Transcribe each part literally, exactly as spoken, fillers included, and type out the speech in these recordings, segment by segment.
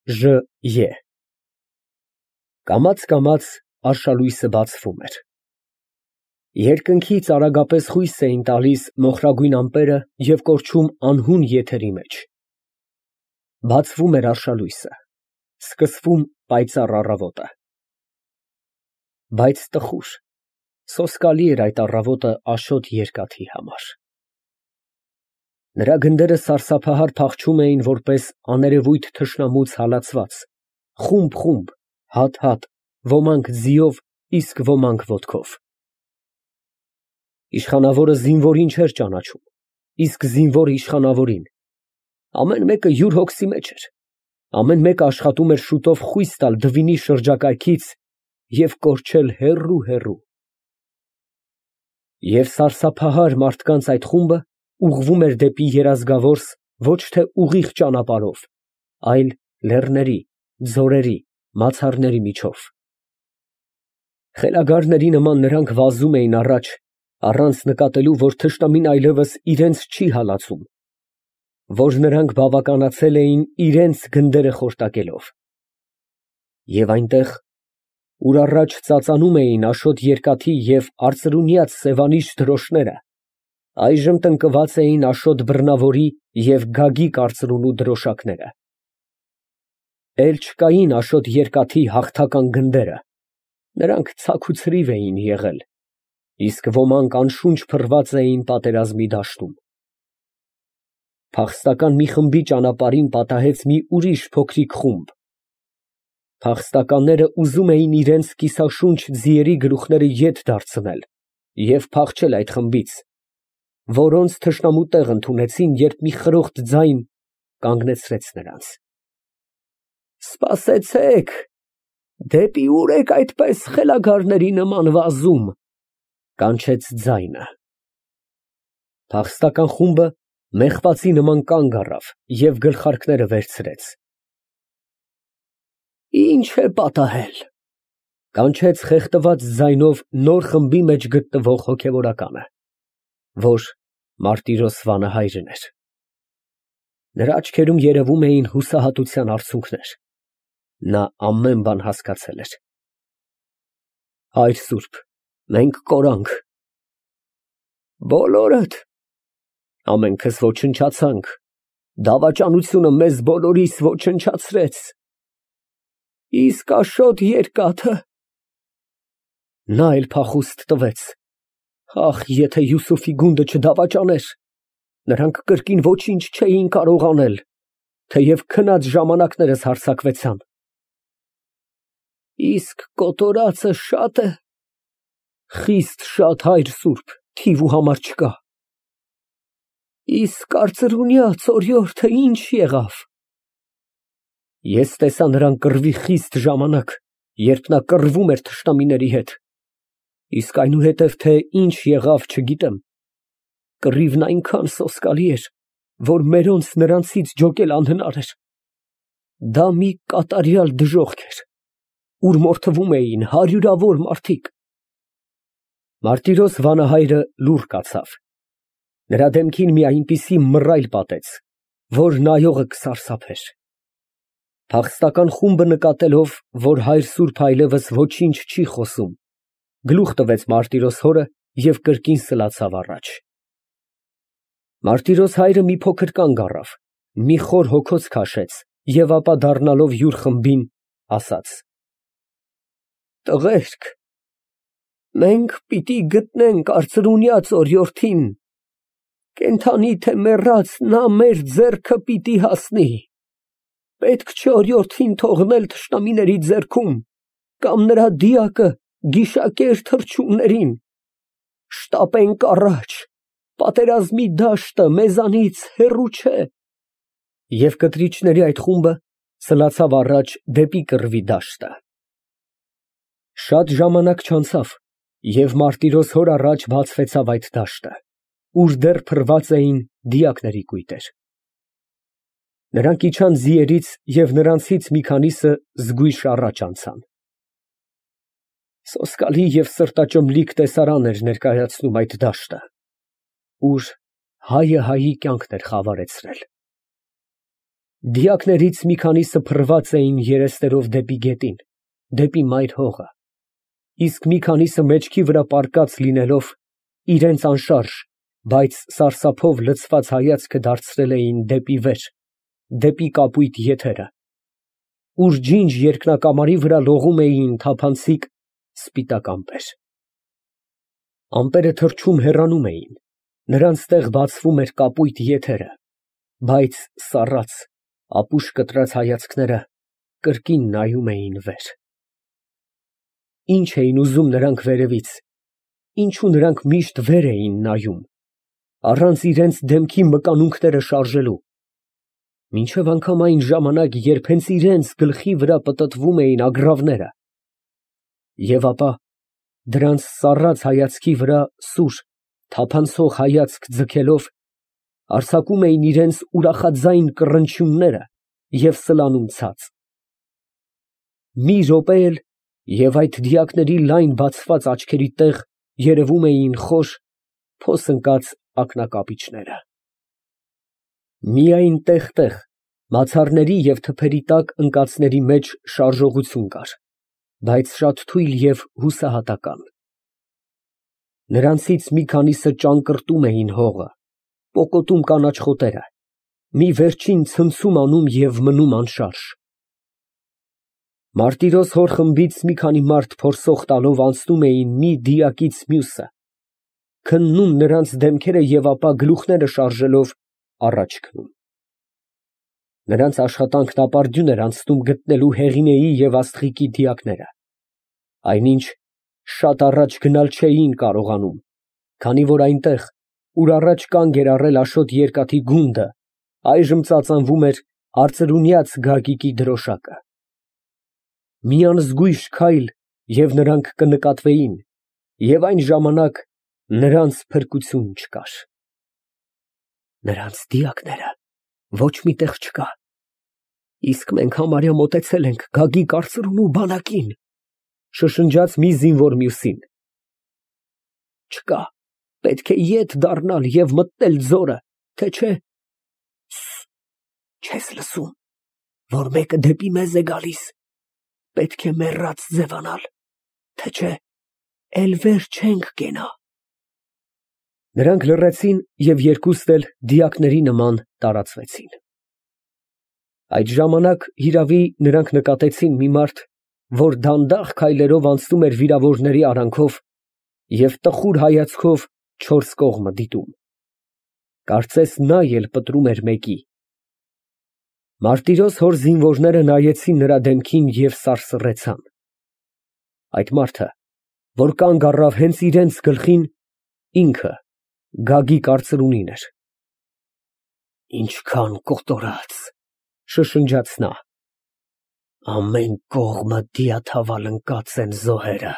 Ժ. Կամաց֊կամաց արշալույսը բացվում էր։ Երկնքից արագապես խույս էին տալիս մոխրագույն ամպերը և կորչում անհուն եթերի մեջ։ Բացվում էր արշալույսը, սկսվում պայծառ առավոտը։ Բայց տխուր, սոսկալի էր այդ առավոտը Աշոտ երկաթի համար։ Նրա գնդերը սարսափահար փախչում էին որպես աներևույթ թշնամուց հալածված, խումբ֊խումբ, հատ֊հատ, ոմանք ձիով, իսկ ոմանք ոտքով։ Իշխանավորը զինվորին չէր ճանաչում, իսկ զինվորը իշխանավորին։ Ամեն մեկը յուր հոգսի մեջ էր, ամեն մեկը աշխատում էր շուտով խույս տալ դվինի շրջակայքից և կորչել հեռու֊հեռու։ Եվ սարսափահար մարդկանց այդ խումբը ուղղվում էր դեպի երազգավորս ոչ թե ուղիղ ճանապարհով, այլ լեռների, ձորերի, մացառների միջով։ Խելագարների նման նրանք վազում էին առաջ, առանց նկատելու, որ թշնամին այլևս իրենց չի հալածում, որ նրանք բավականացել էին իրենց գնդերը խորտակելով։ Եվ այնտեղ, ուր առաջ ծածանում էին Աշոտ երկաթի և արծրունյաց Սևանիչ դրոշները, այժմ տնկված էին Աշոտ բռնավորի և Գագիկ արծրունու դրոշակները։ Էլ չկային Աշոտ երկաթի հաղթական գնդերը, նրանք ցաքուցրիվ էին եղել, իսկ ոմանք անշունչ փռված էին պատերազմի դաշտում։ Փախստական մի խմբի ճանապարհին պատահեց մի ուրիշ փոքրիկ խումբ։ Փախստականները ուզում էին իրենց կիսաշունչ ձիերի գլուխները ետ դարձնել և փախչել այդ խմբից, որոնց թշնամու տեղ ընդունեցին, երբ մի խրոխտ ձայն կանգնեցրեց նրանց։ Սպասեցեք, դեպի ո՞ւր եք այդպես խելագարների նման վազում, կանչեց ձայնը։ Փախստական խումբը մեղվացի նման կանգ առավ և գլխարկները վերցրեց։ Ի՞նչ է պատահել, կանչեց խեղդված ձայնով նոր խմբի մեջ գտնվող հոգևորականը, որ Մարտիրոս վանահայրն էր։ Նրա աչքերում երևում էին հուսահատության արցունքներ, նա ամեն բան հասկացել էր։ Հայր սուրբ, մենք կորանք։ Բոլորդ։ Ամենքս ոչնչացանք, դավաճանությունը մեզ բոլորիս ոչնչացրեց։ Իսկ Աշոտ երկաթը։ Նա էլ փախուստ տվեց։ Ախ, եթե Յուսուֆի գունդը չդավաճաներ, նրանք կրկին ոչինչ չէին կարող անել, թեև քնած ժամանակներս հարձակվեցան։ Իսկ կոտորածը շա՞տ է։ Խիստ շատ, հայր սուրբ, թիվ ու համար չկա։ Իսկ արծրունյաց օրիորդը ի՞նչ եղավ։ Ես տեսա նրան կռվի խիստ ժամանակ, երբ նա կռվում էր թշնամիների հետ, իսկ այնուհետև թե ինչ եղավ չգիտեմ, կռիվն այնքան սոսկալի էր, որ մերոնց նրանցից ջոկել անհնար էր։ Դա մի կատարյալ դժոխք էր, ուր մորթվում էին հարյուրավոր մարդիկ։ Մարտիրոս վանահայրը լուռ կացավ, նրա դեմքին մի այնպիսի մռայլ պատեց, որ նայողը կսարսափեր։ Փախստական խումբը նկատելով, որ հայր սուրբը այլևս ոչինչ չի խոսում, գլուխ տվեց Մարտիրոս հորը և կրկին սլացավ առաջ։ Մարտիրոս հայրը մի փոքր կանգ առավ, մի խոր հոգոց քաշեց և ապա դառնալով յուր խմբին, ասաց. Տղերք, մենք պիտի գտնենք արծրունյաց օրիորդին, կենդանի թե մեռած նա մեր ձեռքը պիտի հասնի, պետք չէ օրիորդին թողնել թշնամիների ձեռքում կամ նրա դիակը գիշակեր թռչուններին, շտապենք առաջ, պատերազմի դաշտը մեզանից հեռու չէ։ Եվ կտրիչների այդ խումբը սլացավ առաջ դեպի կռվի դաշտը։ Շատ ժամանակ չանցավ, և Մարտիրոս հոր առաջ բացվեցավ այդ դաշտը, ուր դեռ փռված էին դիակների կույտեր։ Նրանք իջան ձիերից և նրանցից մի քանիսը զգույշ առաջ անցան։ Սոսկալի և սրտաճմլիկ տեսարան էր ներկայացնում այդ դաշտը, ուր հայը հայի կյանքն էր խավարեցրել։ Դիակներից մի քանիսը փռված էին երեսներով դեպի գետին, դեպի մայր հողը, իսկ մի քանիսը մեջքի վրա պառկած լինելով, իրենց անշարժ, բայց սարսափով լցված հայացքը դարձրել էին դեպի վեր, դեպի կապույտ եթերը, ուր ջինջ երկնակամարի վրա լողում էին թափանցիկ սպիտակ ամպեր։ Ամպերը թռչում հեռանում էին, նրանց տեղ բացվում էր կապույտ եթերը, բայց սառած, ապուշ կտրած հայացքները կրկին նայում էին վեր։ Ինչ էին ուզում նրանք վերևից, ինչու նրանք միշտ վեր էին նայում, առանց իրենց դեմքի մկանունքները շարժելու, մինչև անգամ այն ժամանակ, երբ հենց իրենց գլխի վրա պտտվում էին ագռավները, և ապա դրանց սառած հայացքի վրա սուր, թափանցող հայացք ձգելով, արձակում էին իրենց ուրախաձայն կռնչյունները և սլանում ցած։ Մի րոպե էլ, և այդ դիակների լայն բացված աչքերի տեղ երևում էին խոր, փոս ընկած ակնակապիճները։ Միայն տեղ֊տեղ, մացառների և թփերի տակ ընկածների մեջ շարժողություն կար, բայց շատ թույլ և հուսահատական։ Նրանցից մի քանիսը ճանկռտում էին հողը, պոկոտում կանաչ խոտերը, մի վերջին ցնցում անում և մնում անշարժ։ Մարտիրոս հոր խմբից մի քանի մարդ փորսող տալով անցնում էին մի դիակից մյուսը, քննում նրանց դեմքերը և ապա գլուխները շարժելով առաջ քնում։ Նրանց աշխատանքն ապարդյուն էր անցնում գտնելու Հեղինեի և Աստղիկի դիակները, այնինչ շատ առաջ գնալ չէին կարողանում, քանի որ այնտեղ, ուր առաջ կանգ էր առել Աշոտ երկաթի գունդը, այժմ ծածանվում էր արծրունյաց Գագիկի դրոշակը։ Մի անզգույշ քայլ, և նրանք կնկատվեին, և այն ժամանակ նրանց փրկություն չկար։ Նրանց դիակները ոչ մի տեղ չկա, իսկ մենք համարյա մոտեցել ենք Գագիկ արծրունու բանակին, շշնջաց մի զինվոր մյուսին։ Չկա, պետք է ետ դառնալ և մտնել ձորը, թե չէ… Չես լսո՞ւմ, որ մեկը դեպի մեզ է գալիս, պետք է մեռած ձևանալ, թե չէ էլ վեր չենք կենա։ Նրանք լռեցին և երկուստ էլ դիակների նման տարածվեցին։ Այդ ժամանակ, հիրավի, նրանք նկատեցին մի մարդ, որ դանդաղ քայլերով անցնում էր վիրավորների արանքով և տխուր հայացքով չորս կողմը դիտում, կարծես նա էլ պտռում էր մեկի։ Մարտիրոս հոր զինվորները նայեցին նրա դեմքին և սարսռեցան։ Այդ մարդը, որ կանգ առավ հենց իրենց գլխին, ինքը Գագիկ արծրունին էր։ Ինչքան կոտորած, շշնջաց նա, ամեն կողմը դիաթավալ ընկած են զոհերը,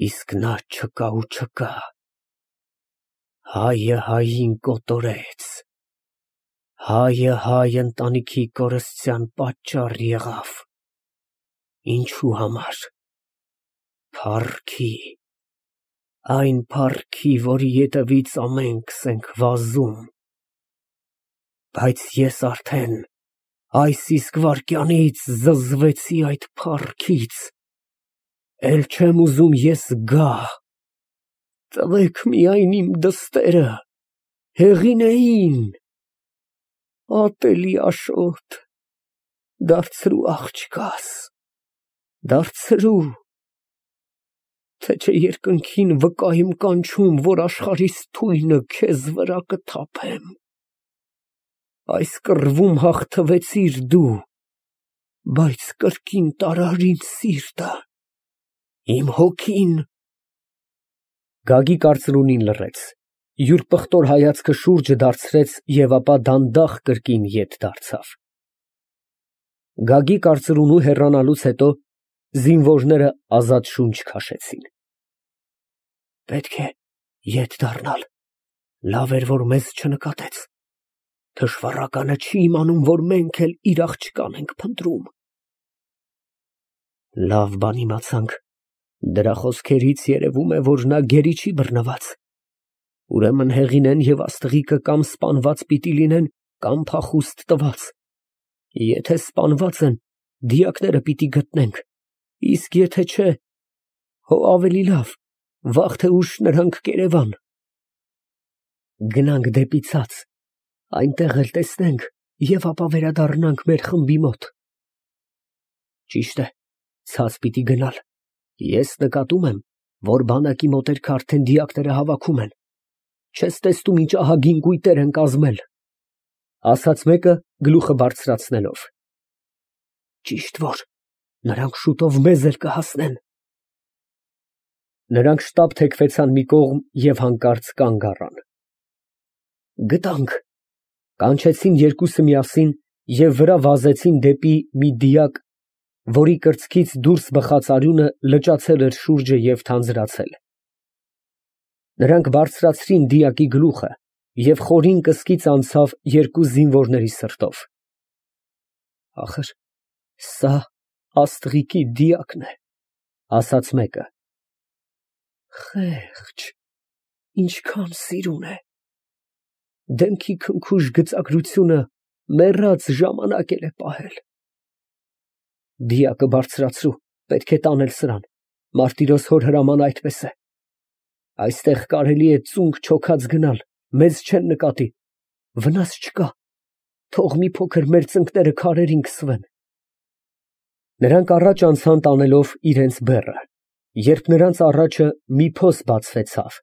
իսկ նա չկա ու չկա, հայը հային կոտորեց, հայը հայ ընտանիքի կորստյան պատճառ եղավ, ինչու համար, փառքի, այն փառքի, որի ետևից ամենքս ենք վազում, բայց ես արդեն այս իսկ վայրկյանից զզվեցի այդ փառքից, էլ չեմ ուզում ես գա, տվեք միայն իմ դստերը, Հեղինեին, ատելի Աշոտ, դարձրու աղջկաս, դարձրու, թե չէ երկնքին վկա եմ կանչում, որ աշխարհիս թույնը քեզ վրա կթափեմ, այս կռվում հաղթվեցիր դու, բայց կրկին տարար ինձ սիրտը, իմ հոգին… Գագիկ արծրունին լռեց, յուր պղտոր հայացքը շուրջը դարձրեց և ապա դանդաղ կրկին ետ դարձավ։ Գագիկ արծրունու հեռանալուց հետո զինվորները ազատ շունչ քաշեցին։ Պետք է ետ դառնալ, լավ էր, որ մեզ չնկատեց, թշվառականը չի իմանում, որ մենք էլ իր աղջկան ենք փնտրում։ Լավ բան իմացանք, դրա խոսքերից երևում է, որ նա գերի չի բռնված, ուրեմն Հեղինեն և Աստղիկը կամ սպանված պիտի լինեն, կամ փախուստ տված, Եթե սպանված են, դիակները պիտի գտնենք, իսկ եթե չէ, հո ավելի լավ, վաղ թե ուշ նրանք կերևան։ Գնանք դեպի ցած, այնտեղ էլ տեսնենք և ապա վերադառնանք մեր խմբի մոտ։ Ճիշտ է, ցած պիտի գնալ, ես նկատում եմ, որ բանակի մոտերքը արդեն դիակները հավաքում են, չես տեսնում ինչ ահագին կույտեր են կազմել, ասաց մեկը գլուխը բարձրացնելով։ Ճիշտ որ նրանք շուտով մեզ էլ կհասնեն։ Նրանք շտապ թեքվեցան մի կողմ և հանկարծ կանգ առան։ Գտանք, կանչեցին երկուսը միասին և վրա վազեցին դեպի մի դիակ, որի կրծքից դուրս բխած արյունը լճացել էր շուրջը և թանձրացել։ Նրանք բարձրացրին դիակի գլուխը և խորին կսկից անցավ երկու զինվորների սրտով։ Ախր սա աստղիկի դիակն է, ասաց մեկը։ Խեղճ, ինչքան սիրուն է։ Դեմքի քնքուշ գծագրությունը մեռած ժամանակ էլ է պահել։ Դիակը բարձրացրու, պետք է տանել սրան, մարտիրոս հոր հրամանը այդպես է։ Այստեղ կարելի է ծունկ չոքած գնալ, մեզ չեն նկատի, վնաս չկա, թող մի փոքր մեր ծնկները քարերին քսվեն։ Նրանք առաջ անցան տանելով իրենց բեռը, երբ նրանց առաջը մի փոս բացվեցավ,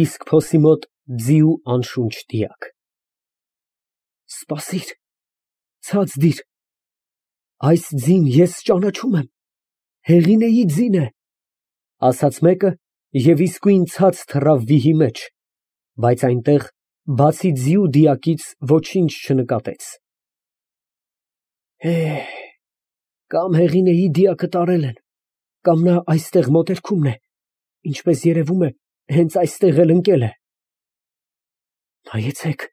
իսկ փոսի մոտ ձիու անշունչ դիակ։ Սպասիր, ցած դիր, այս ձին ես ճանաչում եմ, Հեղինեի ձին է, ասաց մեկը և իսկույն ցած թռավ վիհի մեջ, բայց այնտեղ բացի ձիու դիակից ոչինչ չնկատեց։ Կամ Հեղինեի դիակը տարել են, կամ նա այստեղ մոտերքումն է, ինչպես երևում է, հենց այստեղ էլ ընկել է։ Նայեցեք,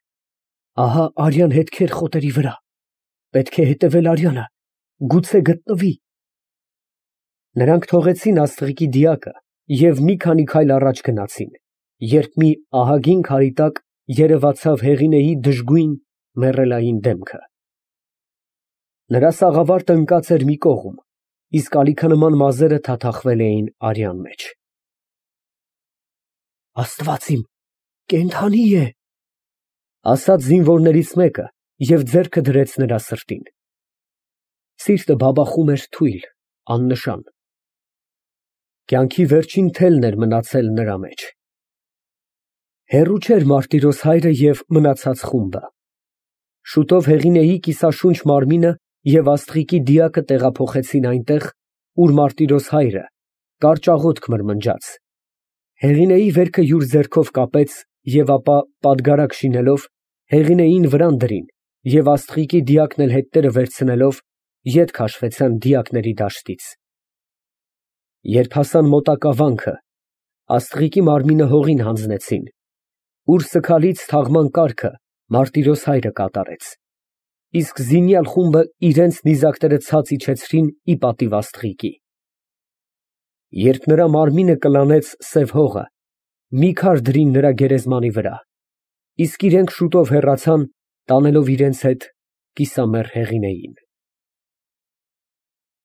ահա արյան հետքեր խոտերի վրա, պետք է հետևել արյանը, գուցե գտնվի։ Նրանք թողեցին աստղիկի դիակը և մի քանի քայլ առաջ գնացին, երբ մի ահագին քարի տակ երևացավ Հեղինեի դժգույն մեռելային դեմքը։ Նրա սաղավարտը ընկած էր մի կողմ, իսկ ալիքանման մազերը թաթախվել էին արյան մեջ։ Աստված իմ, կենդանի է, ասաց զինվորներից մեկը և ձեռքը դրեց նրա սրտին։ Սիրտը բաբախում էր թույլ, աննշան։ Կյանքի վերջին թելն էր մնացել նրա մեջ։ Հեռու չէր Մարտիրոս հայրը և մնացած խումբը։ Շուտով Հեղինեի կիսաշունչ մարմինը և աստղիկի դիակը տեղափոխեցին այնտեղ, ուր Մարտիրոս հայրը կարճ աղոթք մրմնջաց, Հեղինեի վերքը յուր ձեռքով կապեց և ապա պատգարակ շինելով, Հեղինեին վրան դրին և աստղիկի դիակն էլ հետները վերցնելով, ետ քաշվեցան դիակների դաշտից։ Երբ հասան մոտակա վանքը, աստղիկի մարմինը հողին հանձնեցին, ուր սգալից թաղման կարգը Մարտիրոս հայրը կատարեց, իսկ զինյալ խումբը իրենց նիզակները ցած իջեցրին ի պատիվ աստղիկի։ Երբ նրա մարմինը կլանեց սև հողը, մի քար դրին նրա գերեզմանի վրա, իսկ իրենք շուտով հեռացան, տանելով իրենց հետ կիսամեռ Հեղինեին։